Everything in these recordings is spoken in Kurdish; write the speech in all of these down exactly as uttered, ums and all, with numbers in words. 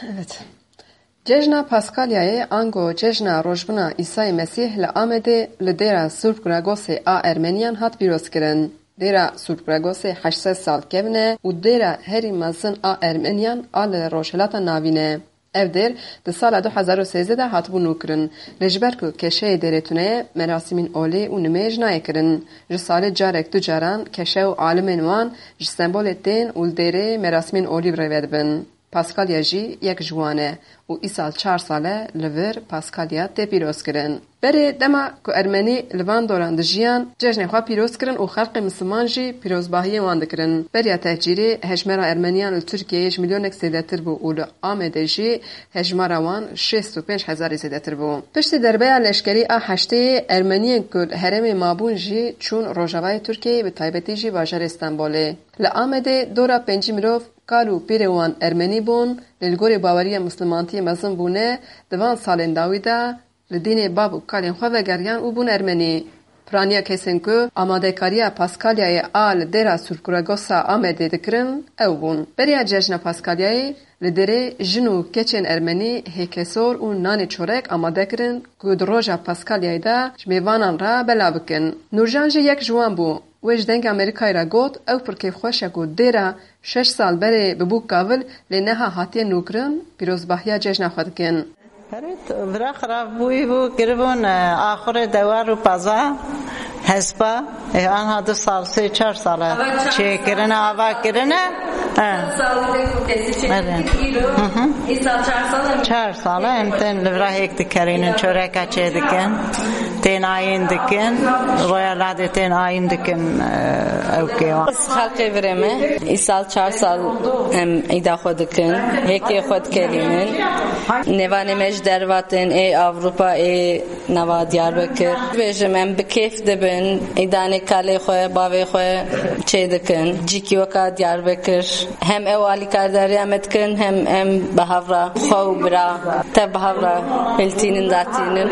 Evet. Cejna Paskalyayê ango cejna rojbûna Îsayê Mesîh li Amedê li dêra Surp Gragosê a Ermeniyan hat pîrozkirin. Dêra Surp Gragosê heşt sed sal kevn e û dêra herî mezin a Ermeniyan a li Rojhilata Navîn e. Ev dêr di sala du hezar û sêzdeh de hatibû nûkirin. Lê ji ber ku keşeyê dêrê tune ye, merasîmên olî û nimêj nayê kirin. Ji salê carek du caran keşe û alimên wan ji Stenbolê tên û li dêrê merasîmên olî bi rê ve dibin. Paskalya jî yek ji wan e û îsal çar sal e li vir Paskalya tê pîrozkirin. Berê dema ku Ermenî li van doran dijiyan, cejnê xwe pîroz kirin û xelkê Misliman jî pîrozbahiyên wan dikirin. Beriya tehcîrê hejmara Ermeniyan li Tirkiyeyê ji milyonek zêdetir bû û li Amedê jî hejmara wan şêst û pênc hezarî zêdetir bû. Piştî derbeya leşkerî a heştê yê, Ermeniyên ku li herêmê mabûn jî çûn rojavayê Tirkiyeyê, bi taybetî jî bajarê Stenbolê. Li Amedê dora pêncî mirov kal û pîrê wan Ermenî bûn, lê li gorî baweriya Mislimantiyê mezin bûne, di van salên dawî de li dînê bab û kalên xwe vegeriyan û bûn Ermenî. Piraniya kesên ku amadekariya Paskalyayê a li dêra Surkuragosa Amedê dikirin, ew bûn. Beriya cejna Paskalyayê li dêrê jin û keçên Ermenî hêkesor û nanê çorek amade kirin ku di roja Paskalyayê de ji mêvanan re belav bikin. Nûrjan jî yek ji wan bû. Wê ji Dengê Amerîkayê re got, ew pir kêfxweş e ku dêra şeş sal berê bibû kavil, lê niha hatiye nûkirin, pîrozbahiya cejna xwe dikin. Erê, vira xirab bûyî bû, kiribûn, e, axurê dewar û paza hespa, e, anha du sal, sê çar sal e çêkirine, ava kirine. E. Erê. Hı hı. Çar sal e em tên li vira hêk dikerînin, çoreka çê dikin. Tên ayîn dikin, roya ladê tên ayîn dikin, e, ew kêwan. Ez xelkê virê me. Îsal çar sal em îda xwe dikin. Hêkê xwe dikerînin. Nêvanê me ji derva tên ê Avrupa, ê nava Diyarbekir. Bêjim em bi kêf dibin. Îdanê kalê xwe, bavê xwe çê dikin. Cîkî weka Diyarbekir. Hem ew alîkardariya me dikin, hem em bi hev re xwe û bira tev bi hev re hiltînin, datînin.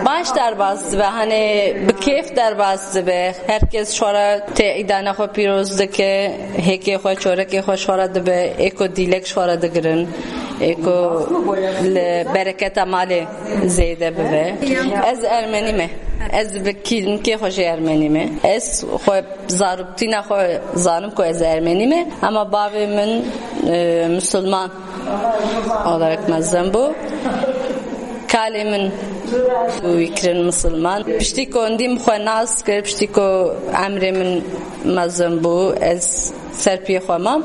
Baş derbas dibe, hani bi kêf derbas dibe. Her kes ji xwe re tê îdana xwe pîroz dike, hêkê xwe, çorekê xwe ji xwe re dibe, ê ku dîlek ji xwe re digirin, ê ku li bereketa malê zêde bibe. Ez Ermenî me. Ez bi kîmkê xwe jî Ermenî me. Ez xwe zarûbtîna xwe zanim ku ez Ermenî me, ama bavê min, e, Musulman olarak mezin bû. Kalê min wî kirin Musulman. Piştî ku hindî min xwe nas kir, piştî ku emrê min mezin bû, ez ser piyê xwe mam.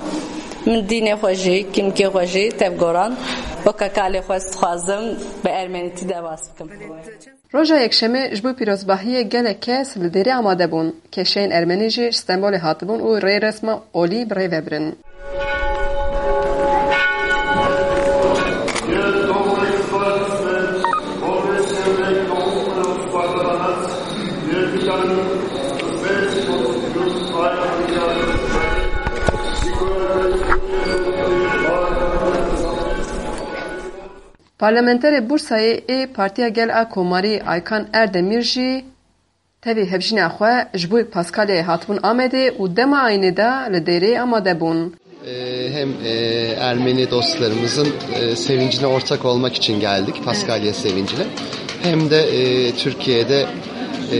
Min dînê xwe jî, kîmkê xwe jî tevgoran. Weke kalê xwe ez dixwazim bi ermenîtî derbas bikim. Roja Yekşemê ji bo pîrozbahiyê gelek kes li dêrê amade bûn. Keşeyên Ermenî jî ji Stenbolê hatibûn û rê resma olî bi rê ve birin. Parlamenterê Bursayê ê Partiya Gel a Komarî Aykan Erdemîr jî tevî hevjîna xwe ji bo Paskalyayê hatibûn Amedê û dema ayînê de li dêrê amade bûn. E, hem, e, Ermeni dostlarımızın, e, sevincine ortak olmak için geldik, Paskalya sevincine. Hem de, e, Türkiye'de, e,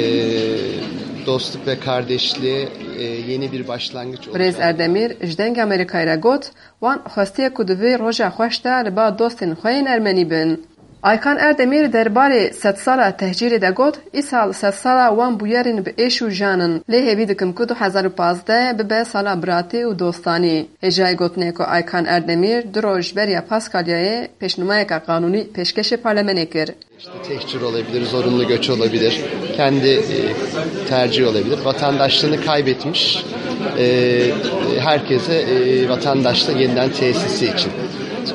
dostluk ve kardeşliğe, e, yeni bir başlangıç olacak. Birêz Erdemîr ji Dengê Amerîkayê re got, wan xwestiye ku di vê roja xweş de li ba dostên xwe yên Ermenî bin. Aykan Erdemîr derbarê sedsala tehcîrê de got, îsal sedsala wan bûyerên bi êş û jan in, lê hêvî dikim ku du hezar û pazdeh bibe sala biratî û dostanî. Hêjayî gotinê ku Aykan Erdemîr du roj beriya Paskalyayê pêşnûmayeke qanûnî pêşkêşê parlemenê kir. İşte tehcir olabilir, zorunlu göç olabilir, kendi, e, tercihi olabilir. Vatandaşlığını kaybetmiş, e, herkese, e, vatandaşlığı yeniden tesisi için,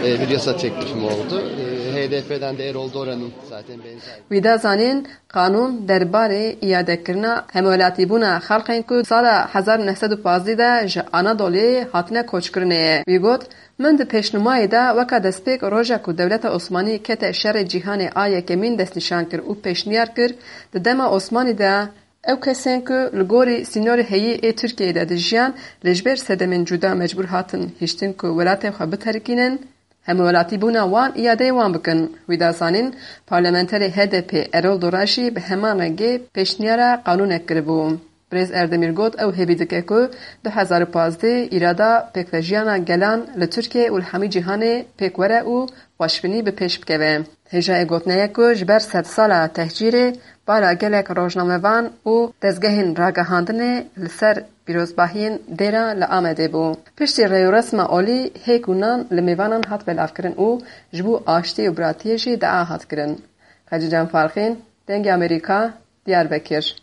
e, bir yasa teklifim oldu. E, H D P'den de Erol Doran'ın zaten benzer. Wî da zanîn, qanûn derbarê îadekirina hemwelatîbûna xelkên ku sala hezar û neh sed û pazdeh de ji Anadolê hatine koçkirinê ye. Wî got, Min di pêşnûmayê de weka destpêk roja ku dewleta Osmanî kete şerê cîhanê a yekemîn destnîşan kir û pêşniyar kir, di dema Osmanî de ew kesên ku li gorî sînorê heyî ê Tirkiyeyê de dijiyan, lê ji ber sedemên cuda mecbûr hatin hiştin ku welatê xwe biterikînin, Hemwelatîbûna wan îyadeyê wan bikin. Wî da zanîn, parlamenterê H D P Erol Dora jî bi heman rengê pêşniyara qanûnek kiribû. Birêz Erdemîr got, ew hêvî dike ku du hezar û pazdeh îrada pêkvejiyana gelan li Tirkiyê û li hemî cîhanê pêk were û xweşbînî bi pêş bikeve. Hêjayê gotinê ye ku ji ber sedsala tehcîrê bala gelek rojnamevan û dezgehên ragihandinê li ser pîrozbahiyên dêra li Amedê bû. Piştî rêûresma olî hêk û nan li mêvanan hat belavkirin û ji bo aştî û biratiyê jî dua hat kirin. Xecîcan Farqîn, Dengê Amerîka, Diyarbekir.